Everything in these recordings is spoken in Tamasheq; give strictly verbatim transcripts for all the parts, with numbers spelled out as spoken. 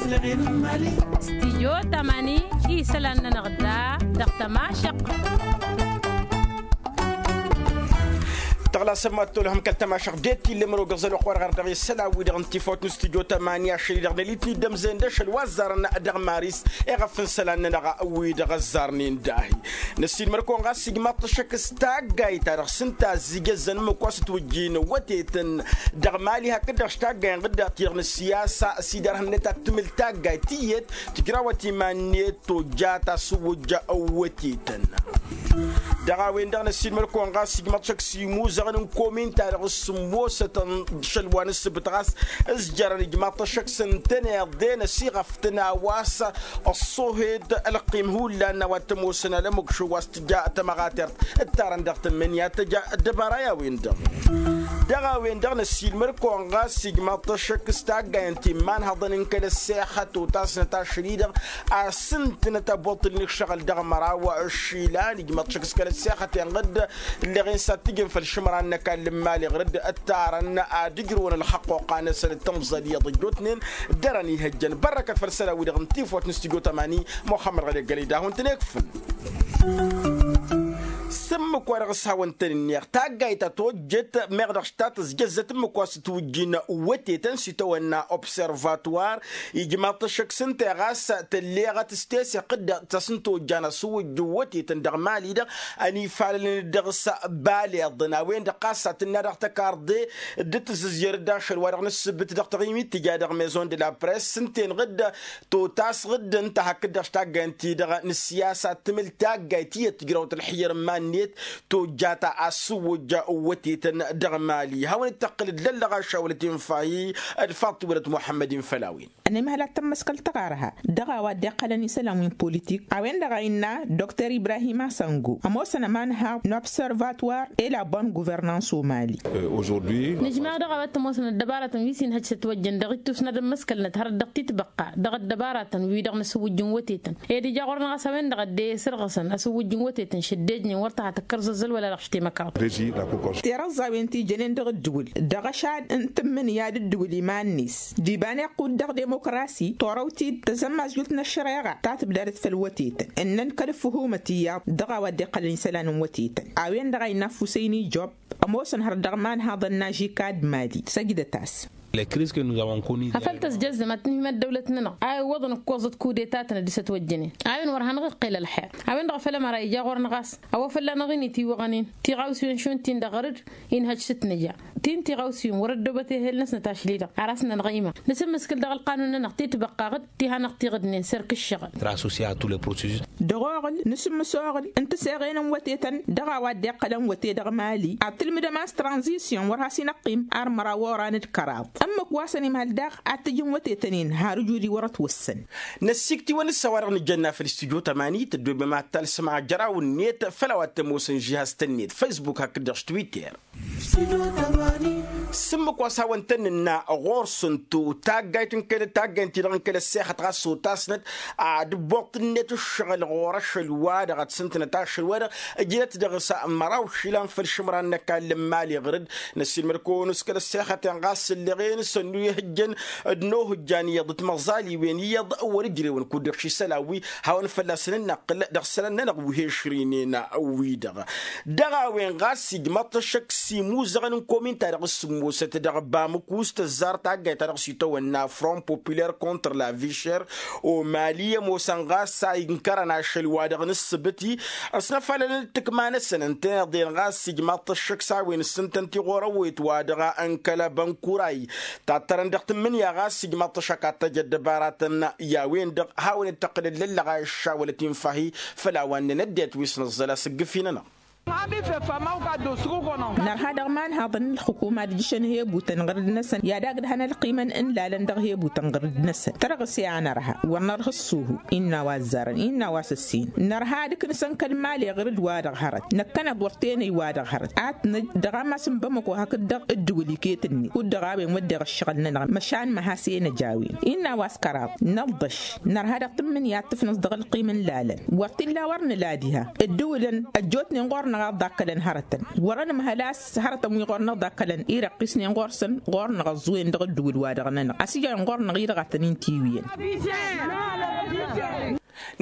Stijyo tamani isălan-nănăɣ da dăɣ-tămašăq. Tăɣlasăm ad-tolhăm kăl-tămašăq det-illa măro găẓăl oqor ɣăr dăɣ-isălan wi-dăɣ n-tifawt n-stijyo tamani ašăl-i-dăɣ n-elitni d-ămzăyăn d-ašăl wa ăzzarăn dăɣ-maris. Eɣăf n-isălan-nănăɣ wi-dăɣ ăzzarnen dahi. Năssiilmăr-kăwăn ɣas ijmaḍ-t ăššăk s-taggayt-ta-dăɣ s-ǝnta ăzzijăzzăn ǝmmǝk wa s-ǝtwǝjjin wătetăn dăɣ-mali hakd-dăɣ s-taggayăn ɣǝdda ti-dăɣ n-ǝssiyasa s-idarhăn-net ad-tǝmǝl taggayt tiyyăt tǝjrawăt iman-net tojjat asǝwwǝjja. Wătetăn dăɣ-a-wen-dăɣ năssiilmăr-kăwăn ɣas ijmaḍ-t ăššăk s-imuzăɣăn n-komin-ta-dăɣ s-sǝmmosătăn šăl wa n-ǝssǝbǝt ɣas ǝzjărăn ijmaḍ-t ăššăk s-ǝntăneḍ-en ăsiɣăf tăn-a-wa s-ăṣṣohed ălqim hullan n-a-wa t-ămoosăn alămukšo wa s-tǝja tămăɣatert ǝttarăn dăɣ-tǝmmǝnǝya tăja ăddăbara i-a-wen-dăɣ. Dăɣ-a-wen-dăɣ năssiilmăr-kăwăn ɣas ijmaḍ-t ăššăk s-taggayăn ti n-imanhăḍăn n-kăl-ăssexăt otasnăt ašăl-i-dăɣ a-s ǝntǝnăt ăboṭṭǝlnen ǝššăɣǝl dăɣ-măraw. Ǝššilan ijmaḍ-t ăššăk s-kăl-ăssexăt-en ɣǝd ǝlleɣ-en s-ad-t-ǝjǝn făll-išǝmran n-ăkall n-imali ɣǝr-dd ǝttarăn ad-ǝjrǝwăn ălxăqqoqa-năsăn d-tamẓal iyyăḍ ăjjootnen. Dăr-ănihăjjăn bărrăkăt făll-isălan-wi-dăɣ n-tifawt n-studyo tămani muxămmăd ɣăli ăggălăy d-ad-hawăn-tăn-ikfǝn. S-ǝmmǝk wa dăɣ-s hawăn-tăn-ǝnneɣ taggayt ta tojjăt meɣ dăɣ-s ta tăzjăzzăt ǝmmǝk wa s-ǝtwǝjjin wătetăn s-itawănna observatwar. Ijmaḍ-t ăššăk s-ǝnta i-ɣas tălleɣăt s-teseɣt d-tasǝntojjan asǝwwǝjjǝw wătetăn dăɣ-mali-dăɣ ănifalălăn dăɣ-s baleḍăn a-wen-dăɣ ɣas a tǝnna dăɣ-tăkarḍe d-tǝzzǝzyăr-dd ašăl wa dăɣ-nǝssǝbǝt dăɣ-taɣimit tǝja dăɣ-maison de la press s-ǝnta-en ɣǝd totas ɣǝd ǝnta hakd-dăɣ s-taggayăn-ti-dăɣ n-ǝssiyasa ad-tǝmǝl taggayt tiyyăt tǝjrawăt ălxǝyyăr n-iman-net tojjat asǝwwǝjja. Wătetăn dăɣ-mali hawăn-dd-tăqqǝl d-lăllăɣ ašawălăt infahi d-faḍt tiwălăt muḥămmăd-in făll-a-wen. Ănimhăl ad-tămmăskăl tăɣarha dăɣ-a-wa dd-iqqălăn isălan wi n-politik a-wen-dăɣ a innă dr ibrahim asango ămoosăn ămanhaḍ n-observatwar e la bonne gouvernance o-mali. Nǝjmaɣ dăɣ-a-wa t-ămoosăn ăddăbaratăn wi s-inhăj s-ătwăjjăn dăɣ-ittus n-ad-ămmăskălnăt hărăt dăɣ-titbăqqa dăɣ-ăddăbaratăn wi-dăɣ n-asǝwwǝjjǝn wătetăn ed ija ɣur-năɣ a-s a-wen-dăɣ a dd-e-sărɣǝsăn asǝwwǝjjǝn wătetăn šăddejnen wăr tăha tǝkkăr zăzzăl wăla dăɣ-aštemăkraḍ. Tirăẓẓawen ti jănen dăɣ-ǝddǝwǝl dăɣ-ašad n-tǝmmǝnǝya d-ǝddǝwǝl iman-net d-iba n-iqqud dăɣ-demokrasi torăw-t-dd tăzămmazjult n-ăššăreɣa ta tǝbdadăt făll-wătetăn ǝnnăn kăl-ǝffǝhumăt iyyăḍ dăɣ-a-wa dd-iqqălăn isălan n-wătetăn. A-wen-dăɣ a innă ăffusăy n-ijjob ămoosăn hărăt dăɣ-imanhaḍăn n-ažika d-mali săjdăt-as. Afăl tăzjăzzăm ad-tǝnhǝyăm ăddăwlăt-nănăɣ a iwwăḍăn ǝkkoẓăt kudetatăn d-isătwăjjănen a-wen wăr hanăɣ-iqqel ălxer. A-wen-dăɣ făll-ămăra ija ɣur-năɣ a-s a-wa fălla-năɣ-in itiwăɣănen tiɣawsiwen šund-tin-dăɣ ɣăr-dd. Inhăj s-ǝtnǝja ti n-tiɣawsiwen wăr-ăddoobăt ehel-năsnăt ašli-dăɣ ar asnănăɣ ima nǝsǝmmǝskǝl dăɣ-ălqanun-nănăɣ titbăqqa ɣǝd ti hanăɣ-tiɣǝdnen s-erk ǝššăɣǝl. Dăɣ-oɣǝl nǝsǝmmǝs oɣǝl n-tǝseɣen n-wătetăn dăɣ-a-wa dd-iqqălăn wăte dăɣ-mali ad-tǝlmǝdăm a-s tranzisyon wăr has-inăqqim ar măraw oran d-kăraḍ. Ǝmmǝk wa s-ănimhăl daɣ ad-t-ǝjǝn wătetăn-in har ǝjud-i wăr-ătwăssăn. Năssikt'-iwăn s-a-wa-dăɣ nǝjjănna făll-studyo tămani tăddoobem ad-talsăm ajăraw-net făll-a-wa t-ămoosăn žihaz-tăn-net facebook hakd-dăɣ s-twitter. S-ǝmmǝk wa s-hawăn-tăn-nǝnna ɣur-săn-tu taggayt n-kăl-taggayt n-ti-dăɣ n-kăl-ăssexăt ɣas otasnăt ad-ǝbbuṭṭǝlnet ǝššăɣǝl ɣur-ašăl-wa-dăɣ ad-sǝntǝnăt ašăl-wa-dăɣ. Ǝjnăt dăɣ-s măraw išilan făll-išǝmran n-ăkall n-imali ɣǝr-dd năssiilmăd-kăwăn s-kăl-ăssexăt-en ɣas ǝlleɣ-en s-ănnu ihǝjjăn d-inohǝjjan iyyăḍ d-timăẓaliwen iyyăḍ wăr-ǝjrewăn kud-dăɣ šisălan wi hawăn-fălla-săn ǝnnăqqǝl dăɣ-isălan-nănăɣ wi he-išrǝynen. Wi-dăɣ dăɣ-a-wen ɣas ijmăḍ-t ăššăk s-imuzăɣăn n-komin-ta-dăɣ s-sǝmmosăt dăɣ-bamǝku s-tăzzar taggayt-ta-dăɣ s-itawănna front populaire contre la vie chère. O-mali ămoosăn ɣas a inkărăn ašăl wa dăɣ-nǝssǝbǝt-i ăsnăfalăn d-tǝkma-năsăn ǝntăneḍ-en ɣas ijmăḍ-t ăššăk s-a-wen ǝssǝntăn tiɣorăwet wa dăɣ-a n-kăl-abănkuray. Tattărăn dăɣ-tǝmmǝnǝya ɣas ijmăḍ-t ăššăk ad-tăj ăddăbaratăn i-a-wen-dăɣ hawăn-dd-tăqqǝlăn lăllăɣ a iššawălăt infa-hi. Făll-a-wa ǝnnăn ăddinăt wi s-nǝẓẓăl asǝggǝf-i-nănăɣ. Nărha dăɣ-imanhaḍăn n-ǝlxǝkum ad-ǝjjǝšăn hebutăn ɣǝr-dd-năsăn i-ad-agdăhăn ălqimăn n-ilalăn dăɣ-hebutăn ɣǝr-dd-năsăn tărɣǝse a nărha wăr nărha ăṣṣuhu. Innă a-wa ăzzarăn innă a-wa s-ăssin nărha ad-ǝknǝsăn kăl-mali ɣǝr-dd wa-dăɣ hărăt năkkăneḍ wăr tenăy wa-dăɣ hărăt ad-t-năj dăɣ-ammas n-bamăko hakd-dăɣ ǝddǝwǝl iket-net kud-dăɣ a-wen wădden ăššăɣǝl-nănăɣ măšan măhas enăj a-wen. Innă a-wa s-kăraḍ nălḍăš nărha dăɣ-tǝmmǝnǝya ad-tǝfnǝs dăɣ-ălqim n-ilalăn wăr t-illa wăr nǝla diha ǝddǝwǝlăn ăjjootnen ɣur-năɣ. Ɣaḍ dakkălăn hărătăn wărăn măhălas hărătăn wi ɣur-năɣ dakkălăn irăqqisnen ɣur-săn ɣur-năɣ ăẓẓuwen dăɣ-ăddǝwǝl-wa-dăɣ-nănăɣ ăsijăn ɣur-năɣ-i dăɣ-a tăn-in-tiwǝyăn.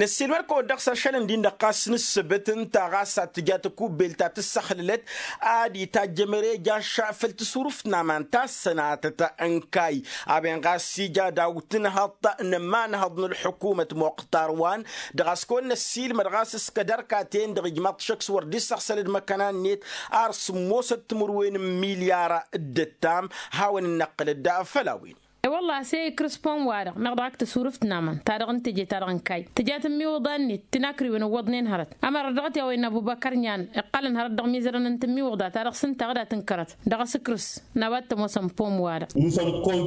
Năssiilmăd-kăwăn dăɣ-s ašăl ǝndin-dăɣ ɣas n-ǝssǝbǝt ǝnta ɣas ad-tǝja takubbelt ta tǝssăxlălăt ad-itajj ămărejaš făll-tasuruft n-aman ta s-sănatăt n-kayy. A-wen ɣas ija daw-tǝnhăḍt n-ămanhăḍ n-ălḥukumăt muqtar wa-n dăɣ-a-s kăwăn-năssiilmăd ɣas s-kădărkaten-dăɣ ijmaḍ-t šăkk s-wăr dd-issăɣsăl d-imăkkăna-net ar sǝmmosăt timǝrwen n-milyar d-ǝttam. Hawăn-dd-năqqǝlăd făll-a-wen. E-wălla-hi a-s e-ikrǝs pom-wa-dăɣ meɣ dăɣ-ak tasuruft n-aman ta dăɣ-n teje-ta-dăɣ n-kayy tǝja tǝmmiwǝḍa-net tinakriwen ǝwwăḍnen hărăt ămăra dăɣ-t i-a-wa innă ăbubăkăr n-iyyăn iqqălăn hărăt dăɣ-imizărăn n-tǝmmiwǝḍa ta dăɣ-s ǝnta ad-dd-tǝnkărăt dăɣ-asǝkrǝs n-a-wa t-ămoosăn pom-wa-dăɣ.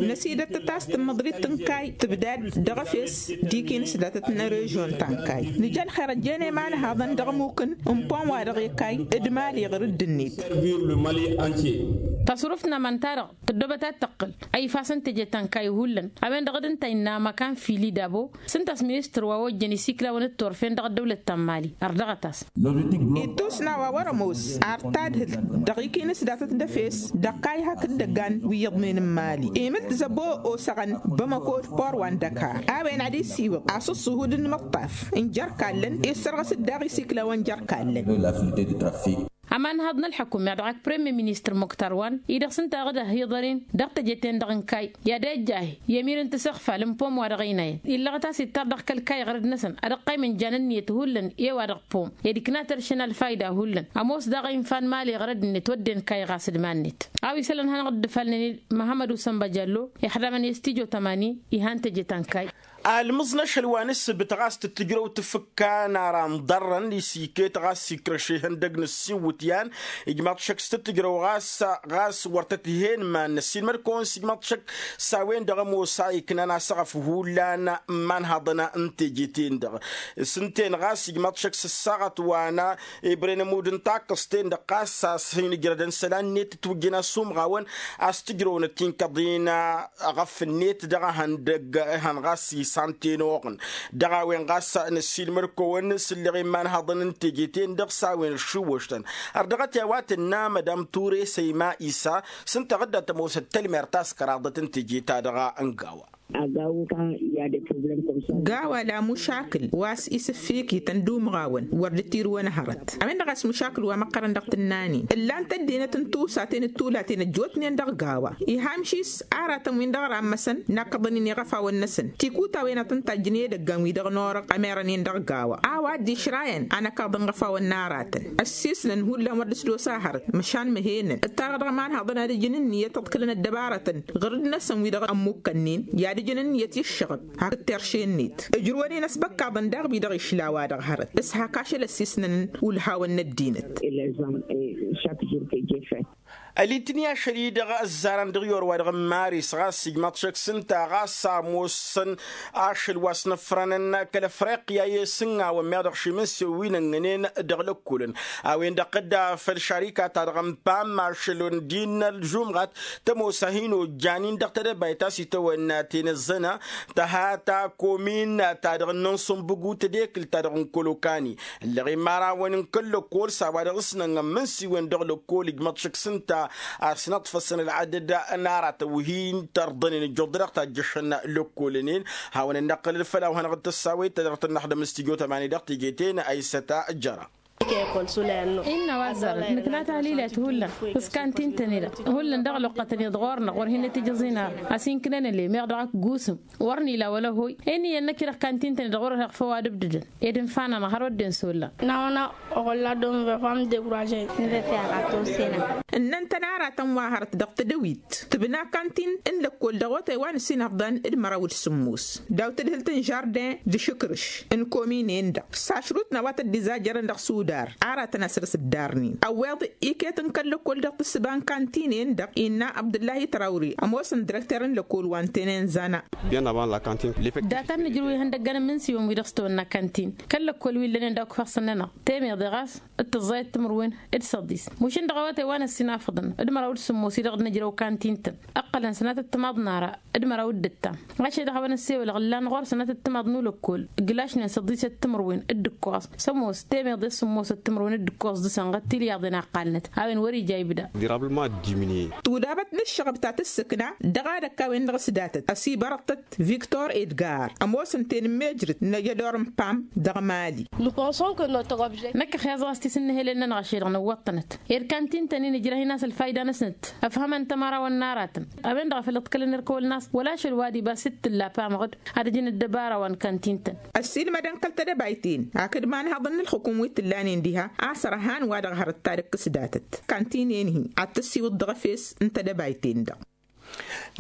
Năsidăt-t a-s tǝmmăḍrit n-kayy tǝbdad dăɣ-efes d-ikinǝs datăt n-erežyon ta n-kayy nǝj ălxer ăjjeen i-imanhaḍăn dăɣ-imukǝn n-pom-wa-dăɣ i-kayy d-mali ɣǝr-dd-net. Tasuruft n-aman-ta-dăɣ tăddoobăt ad-tăqqǝl a ifasăn teje ta n-kayy hullan a-wen-dăɣ d-ǝnta innă măkan fili dabo s-ǝnta a-s ministăr wa ojjăn isiklawăn d-turfen dăɣ-ăddăwlăt ta n-mali ărdăɣăt-as. Ittus n-a-wa wăr-ămoos ar tadhǝlt dăɣ-ikinǝs datăt n-efes dăɣ-kayy hakd dăggan wi iyyăḍnen n-mali imǝlt zăbo osăɣăn bămăko d-port wa n-dăkar a-wen ad-isiwǝḍ a-s ǝṣṣuhud n-imǝṭṭaf n-jer-kallăn issărɣǝs-dd daɣ isiklawăn jer-kallăn. Ămanhăḍ n-ălḥăkum meɣ dăɣ-ak premier ministăr muktar wa-n-i dăɣ-s ǝnta a ɣǝd-ăhhiḍăren dăɣ-teje-ten-dăɣ n-kayy i-ad-ejjah i-emir n-tisăɣfal n-pom wa dăɣ-inayăn illăɣăt a-s ittar dăɣ-kăl-kayy ɣărăd-năsăn ad-ăqqaymăn jan ǝnniyăt hullan i-wa-dăɣ pom ed ikna tăršăn ălfayda hullan ămoos daɣ a infa n-mali ɣărăd-net wădden kayy ɣas d-iman-net. A-wa isălan hanăɣ-dd-ǝfalnen-dd măhămmăd usănba jallo ixdamăn i-s tijo tămani ihan teje ta n-kayy. Almǝẓ n-ašăl wa n-ǝssǝbǝt ɣas tǝttǝjrăw tǝfǝkka n-ara n-ḍarrăn isiket ɣas ikrăš ihăndăg n-ǝssiwǝtyan ijmaḍ šăkk s-tǝttǝjrăw ɣas ɣas wăr tăt-ih'-en iman-năs ilmăd-kăwăn s-ijmaḍ šăkk s-a-wen-dăɣ ămoos a iknan asăɣăf hullan n-imanhăḍăn n-teje-ten-dăɣ s-ǝnta-en ɣas ijmaḍ šăkk s-ǝssaɣăt wa n-ebren ămudd n-takkăẓt-en-dăɣ ɣas a-s hin-ǝjrădăn isălan-net ǝtwǝjjăn asumɣawăn a-s tǝjrăwnăt tinkăḍin ăɣăf-net dăɣ-ehăndăg ehăn ɣas isan tenoɣăn dăɣ-a-wen ɣas năssiilmăd-kăwăn s-ǝlleɣ imanhăḍăn n-teje-ten-dăɣ s-a-wen ăššiwwăš-tăn. Ărdăɣăt i-a-wa tǝnna mădam ture săyma isa s-ǝnta a ɣǝdda tămoosăt tălmer ta s-kăraḍăt n-teje-ta-dăɣ n-gawa. Gawa la mušakǝl wa s-isǝffikităn d-umɣawăn wăr dd-tirǝwăn hărăt a-wen-dăɣ a-s mušakǝl wa măqqărăn dăɣ-tǝnnanen ǝllan-t ăddinăt n-tusaten d-tulaten ăjjootnen dăɣ-gawa. Iha amšis aratăn-win-dăɣ rammăsăn nakkăḍăn-in iɣăfawăn-năsăn tikuta a-wen ad-tăn-tajjǝn i-edăggan-wi-dăɣ n-orăɣ ămerăn-in dăɣ-gawa a-wa dd-išrayăn anăkaḍ n-iɣăfawăn n-aratăn ăssiisnăn hullan wăr dd-s d-osa hărăt măšan măhenăn ǝttarăɣ dăɣ-imanhaḍăn ad-ǝjǝn ǝnniyăt ad-kălăn ăddăbarătăn ɣǝr-dd-năsăn wi-dăɣ ămmukkănnen i-ad-ǝjǝn ǝnniyăt i-ǝššăɣǝb hakd terše-net ǝjrǝwăn-in ăsbăkkaḍăn daɣ wi-dăɣ išla a-wa-dăɣ hărăt s-hak ašăl ăssiisnăn ulhawăn n-ăddinăt. Ălitni ašăl-i-dăɣ ăzzarăn dăɣ-iyor wa-dăɣ n-maris ɣas ijmaḍ šăkk s-ǝnta ɣas a ămoosăn ašăl wa s-năfrănăn kăl-ăfriqya i-isǝnnawăn meɣ dăɣ-šimǝnsew wi n-ănnănen dăɣ-lăkkulăn a-wen-dăɣ tădda făll-šarika-ta-dăɣ n-pam ašăl n-dd-innă ălžumɣat tămoos a hin-ojjan-in dăɣ-tedăbayt a-s itawănna tenăzzăna tăhata komin-ta-dăɣ n-insumbǝgu tedekǝlt-ta-dăɣ n-kolokani ǝlleɣ-in imărawăn n-kăl-lăkkol s-a-wa dăɣ-s nănɣămmǝn s-iwăn dăɣ-lăkkol ijmăḍ šăkk s-ǝnta a-s năṭṭfăsăn ălɣadăd n-aratăn wi hin-tărḍănen ǝjjuḍ-dăɣ tajjăšăn lăkkolănen. Hawăn-ănnăqqǝlăd făll-a-wa hanăɣ-dd-tăssawăyăt ta dăɣ-tănnăxdăm s-tijo tămani dăɣ-teje-ten aysăta jăra. Innă a-wa ăzzarăn nǝkna tahlilat hullan s-kantintăn-i-dăɣ hullan dăɣ-ălwăqqătăn-i-dăɣ ɣur-năɣ wăr hin-ătijăẓ inarăn a-s inknen ălem meɣ dăɣ-ak gusǝm wăr n-ila wăla ăhoy. Inn'-iyyăn năkk-i-dăɣ kantintăn-i-dăɣ wăr-ăheɣ făw ad-ǝbdǝdăn ed ǝnfanăn ɣar wădden s-olla. N-a-wa n-a oɣălla dom vefam dekuraže. N-vefeɣ a tosena. Ǝnnăn-tăn aratăn wa hărăt dăɣ-tedăwit tǝbna kantin n-lăkkol dăɣ-otay wa n-ăsinăfḍan d-măraw d-sǝmmos daw-tadhǝlt n-žardin d-išǝkrǝš n-kominen-dăɣ s-ašrut n-a-wa tăt-dd-izajjărăn dăɣ-sudar aratăn a săr-s ǝddarnen ăwweḍ iket n-kăl-lăkkol dăɣ-tǝssǝba n-kantinen-dăɣ innă abdǝllahi trawri ămoosăn direkter n-lăkkol wa n-tenen zana. Datăn nǝjrǝw ihăndăggăn n-imǝnsiwăn wi dăɣ-s tăwănna kantin kăl-lăkkol wi ǝllănen dăɣ-kufăɣ săn-nănăɣ temeḍe ɣas d-tǝẓẓayăt timǝrwen d-săḍis. Mušǝn dăɣ-awătay wa n-ăssinafăḍăn d-măraw d-sǝmmos-i-dăɣ d-nǝjrăw kantin-tăn ǝqqălăn sănatăt timaḍ n-ara d-măraw d-ǝttam. Ɣašed a hawăn-ăssewălăɣ ǝllan ɣur-sănatăt timaḍ n-ulăkkol ǝglašnen săḍisăt timǝrwen d-ǝkkoẓ sămoos temeḍe s-sǝmmos. Ămoosăt timǝrwen d-ǝkkoẓ dăɣ-săn ɣăt tilyaḍen a ǝqqalnăt a-wen wăr-ija ibda. Durablement diminuye. Tudabăt n-ǝššăɣăb ta tǝssǝkna dăɣ-ad-ăkk a-wen-dăɣ s-datăt ăsibărăḍ-tăt viktor edgar ămoosăn tenǝmmejrǝt n-ajădor n-pam dăɣ-mali. Năkk ixyaẓ ɣas tisǝnnǝhelen-nănăɣ ašăl-dăɣ nǝwwăḍ-tănăt. Ed kantin-tăn-in ǝjrăh-in a-s ălfayda-năsnăt ăfhămăn tămărawăn n-aratăn a-wen-dăɣ a făl iḍkălăn irkăwălăn a-s wăla ašăl wa d-ibas d-tǝlla pamăɣ-dd ad-ǝjǝn ăddăbarawăn kantin-tăn. Ăssiilmădăn kăl-tedăbayt-in hakd imanhăḍ n-ǝlxǝkum wi t-ǝllanen diha a-s ărhan wa-dăɣ hărăt ta d-ǝkkǝs datăt kantinen-hi ad-tăssiwǝḍ dăɣ-efes n-tedăbayt-in-dăɣ.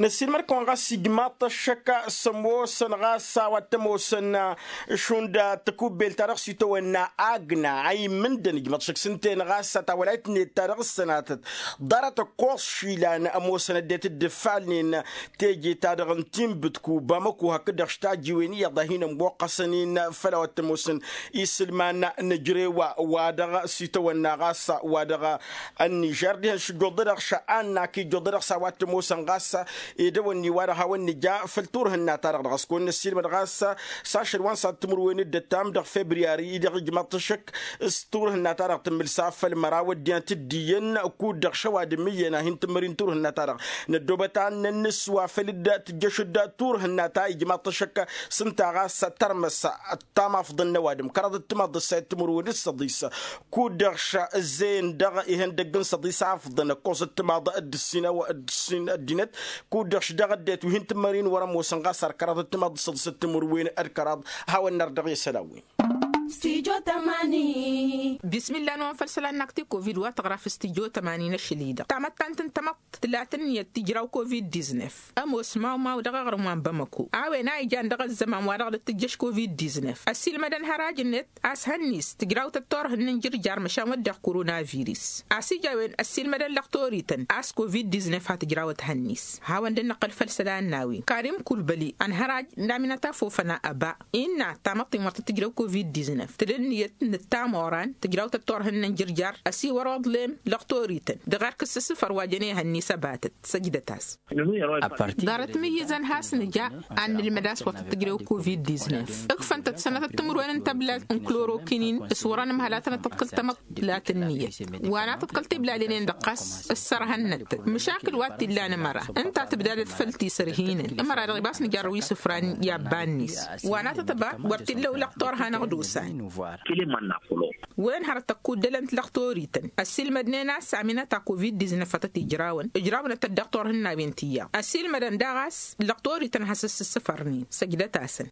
Năssiilmăd-kăwăn ɣas ijmaḍ-t ăššăk s-ămoosăn ɣas a-wa t-ămoosăn šund tăkubbelt-ta-dăɣ s-itawănna agna a immǝndăn ijmaḍ-t ăššăk s-ǝnta-en ɣas a tawălayt-net ta dăɣ-ǝssănatăt ḍarăt ǝkkoẓ išilan ămoosăn ăddinăt dd-ǝffalnen teje-ta-dăɣ n-tinbǝt ku bamăko hakd-dăɣ štajiwen iyyăḍ a hin-ămmoqqăsăn-in făll-a-wa t-ămoosăn isǝlman n-ejrew-wa-dăɣ s-itawănna ɣas wa dăɣ-ănnižer dihen šǝjjoḍ-dăɣ šă'anna kǝjjoḍ-dăɣ s-a-wa t-ămoosăn ɣas edăwănni wa dăɣ-hawăn-nǝja făll-turhǝnna-ta-dăɣ dăɣ-s kăwăn-năssiilmăd ɣas s-ašăl wa n-sad timǝrwen d-ăttam dăɣ-febriyari-i-dăɣ ijmaḍ-t ăššăk s-turhǝnna-ta-dăɣ tǝmmǝl s-afăl măraw ăddinăt d-iyyăn kud-dăɣ šăwadǝm iyyăn a hin-tǝmmăr-in turhǝnna-ta-dăɣ năddoobăt ad-nănnǝs wa făl dd-tǝjjăš d-turhǝnna ta ijmaḍ-t ăššăk s-ǝnta ɣas tărmăs tamafḍăn n-ăwadǝm kăraḍ d-timaḍ d-ǝssayăt timǝrwen d-săḍis kud-dăɣ š-ǝzzeyăn dăɣ-ihăndăgg n-săḍis afḍăn ăkkoẓăt timaḍ d-ǝssin ăddinăt kud-dăɣ š-dăɣ ăddinăt wi hin-tǝmmăr-in wăr-ămoosăn ɣas ar kăraḍ d-timaḍ d-săḍisăt timǝrwen d-kăraḍ. Hawăn-năr dăɣ-i isălan-win. Bismilla n-wăn făll-isălan n-akti covid wa tăɣra f-stijo tămani n-ašăl-i-dăɣ tamăttant n-tamăḍt tǝlat ǝnniyăt tǝjraw covid-diznef ămoos mawmaw dăɣ-aɣrǝm wa n-bamăko a-wen a ijan dăɣ-ăzzăman wa dăɣ-dd-tǝjjăš covid-diznef ăssiilmădăn hăraj-net a-s hănnis tǝjrawtăt turhǝnna n-jǝrjar măšan wădden koronavirus a-s ija a-wen ăssiilmădăn lăqtorităn a-s covid-diznef ha tǝjrawăt hănnis. Hawăn-dd-năqqăl făll-isălan n-a-wen karim kulbăli ănhăraj n-aminăt afofăn a ăba innă tamăḍt-in wăr tăt-tǝjrăw covid-diznef tǝla ǝnniyăt n-ǝttam oran tǝjrawtăt turhǝnna n-jǝrjar ăsiwăr oḍlem lăqtorităn dăɣ-erk ǝssǝssǝfăr wa jăn ehăn-ni s-ăbatăt săjdăt-as. Ḍarăt mǝyyǝzăn has-nǝja ad-nǝlmăd a-s wăr tăt-tǝjrew covid-diznef ǝkfăn-tăt sănătăt timǝrwen n-tăblalt n-klorokinin s-wăr-ănǝm hălatănăt tăḍkǝl tamăḍt tǝlat ǝnniyăt wa n-ad-tăḍkăl tiblalen-en-dăɣ ɣas ǝssărhănnăt-tăt măšakǝl wa t-illa n-ămăra ǝnta tǝbdadăt făll-tisărhinăn ămăra-dăɣ ibas nǝjarrăw isǝfran i-abba-net wa n-ad-tăt-ăba wăr t-illa ulăɣ turha n-aɣdosan. Wen hărăt ăkkuddălăn tilăɣtorităn ăssiilmădnen a-s aminăt a covid-diznef a tăt-ijrawăn ǝjrawnăt-tăt dăɣ-turhǝnnawen ti iyyăḍ ăssiilmădăn daɣ a-s lăɣtorităn has-ăssǝssǝfărnen săjdăt-asăn.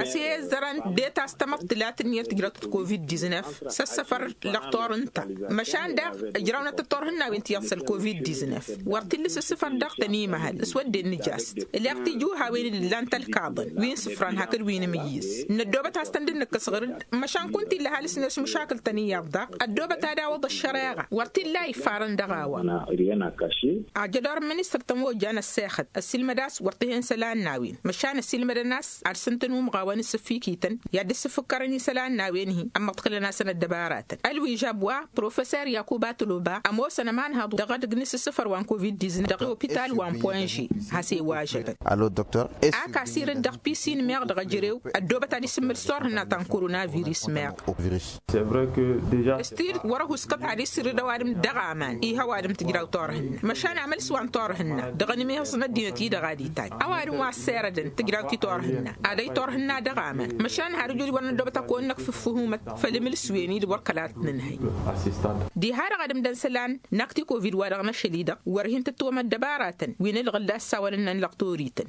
Ăsihezzărăn det a-s tamăḍt tǝlat ǝnniyăt tǝjrăwtăt covid-diznef s-ăssăfăr lăɣtor ǝnta măšan daɣ ǝjrawnăt-tăt turhǝnnawen ti iyyăḍ s-ălkovid-diznef wăr t-illa s-ǝssǝfăr dăɣ-tăn imăhăl s-wădden nǝjast. Ǝleɣ tijuhawen d-ǝllan tălkaḍăn wi n-isǝfran hakd wi n-amǝyyǝz năddoobăt has-tăn dd-nǝkkăs ɣǝr-dd măšan kunta illa ăhalǝs-net mušakǝl-tăn iyyăḍ daɣ ăddoobăt ad-awăḍ ăššăreɣa wăr t-illa a ifarăn dăɣ-a-wa. Ajădor n-ministăr-tăn wa ojan ăssexăt ăssiilmăd a-s wăr t-hen isălan n-a-wen măšan ăssiilmădăn a-s ad-sǝntăn umɣawăn isǝffikităn i-ad-dd-sǝfǝkkărăn isălan n-a-wen-hi ămmăḍkălăn-asăn ăddăbaratăn ălwižab wa professor yakuba toloba ămoosăn ămanhăḍ dăɣ-edăgg n-isǝssǝfăr wa n-covid-diznef dăɣ-opital wa n-poinže. Has-e-wažădăn. Ak asirǝd dăɣ-pisin meɣ dăɣ-ejărew ăddoobăt ad-isǝmmǝl s-turhǝnna ta n-koronavirus meɣ. S-tid wăr-ăhuskăt ad-isirǝd ăwadǝm dăɣ-aman ih' ăwadǝm tǝjraw turhǝnna măšan amǝls wa n-turhǝnna dăɣ-anǝmihǝẓ n-ăddinăt-i-dăɣ ad-itaj ăwadǝm wa ăssirădăn tǝjraw ti turhǝnna ad-ăy turhǝnna dăɣ-aman măšan har ǝjud wăr năddoobăt ad-kăwăn-năkf ǝffǝhumăt făll-imǝlǝs-wen-i d-wăr kăla t-nǝnhăy. Diha-dăɣ ad-ǝmdăn isălan n-akti kovid wa dăɣ-năšăl-i-dăɣ wăr hin-tǝttǝwăm ăddăbaratăn wi n-ǝlɣǝl d-ad-sawălăn n-lăqtorităn.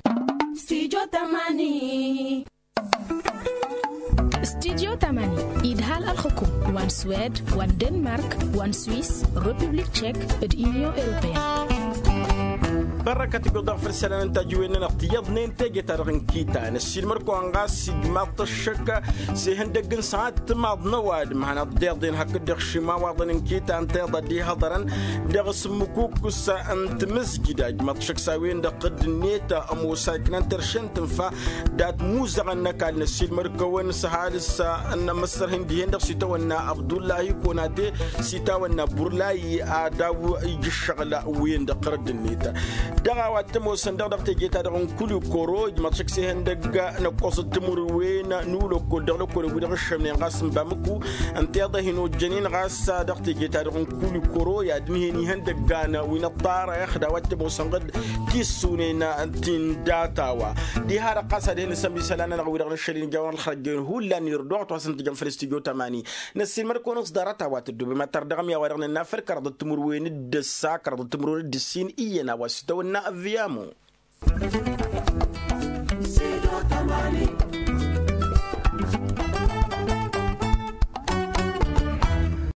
Studio tamani idhal ălxǝkum wa n-swed wa n-denmark wa n-swis, republik tchek, d-union europeen. Bărrăkăt ǝggoḍ dăɣ-făll-isălan n-tajǝwen-nănăɣ tiyyăḍnen teje-ta-dăɣ n-kita năssiilmăr-kăwăn ɣas ijmaḍ-t ăššăk s-ihăndăgg n-săɣat timaḍ n-ăwadǝm hanăḍ-deḍen hakd-dăɣ šimawaḍăn n-kita ǝnta iḍa dd-ihăḍărăn dăɣ-s ǝmmǝkukǝs n-tamǝzjǝda ijmaḍ-t ăššăk s-a-wen-dăɣ tădd-net ămoos a iknan terše n-tǝnfa dat-muzăɣăn n-ăkall năssiilmăr-kăwăn s-ăhalǝs n-amǝssărhin dihen-dăɣ s-itawănna abdullahi konate s-itawănna burlayi ad-daw-ija ǝššăɣǝl-wen-dăɣ tărădd-net. Dăɣ-a-wa t-ămoosăn dăɣ-dăɣ teje-ta-dăɣ n-kulikoro ijmăḍ šăkk s-ihăndăgg n-ăkkoẓăt timǝrwen n-ulăkkol dăɣ-lăkkol ăgg-wi-dăɣ ǝššămnen ɣas n-bamǝku. Ǝnta iḍa hin-ojjănen ɣas dăɣ-teje-ta-dăɣ n-kulikoro i-ad-ǝnhǝyăn ihăndăggan wi n-ăṭṭarăyăx d-a-wa t-ămoosăn ɣǝd tissunen ti n-data-wa. Diha-dăɣ ɣas ad-hin-nǝsămb isălan-nănăɣ wi-dăɣ nǝššăl-in ija-wen ălxărăjjăyăn hullan irduɣ a-wa t-wa s-ǝntǝjăn făll-studyo tămani. Năssiilmăd-kăwăn-in s-ḍarăt a-wa tǝddubem ad-tărdăɣăm i-a-wa dăɣ-nǝnna făll-kăraḍăt timǝrwen d-ǝssa kăraḍăt timǝrwen d-ǝssin iyyăn a-wa s-tăwănna ăvviyamu.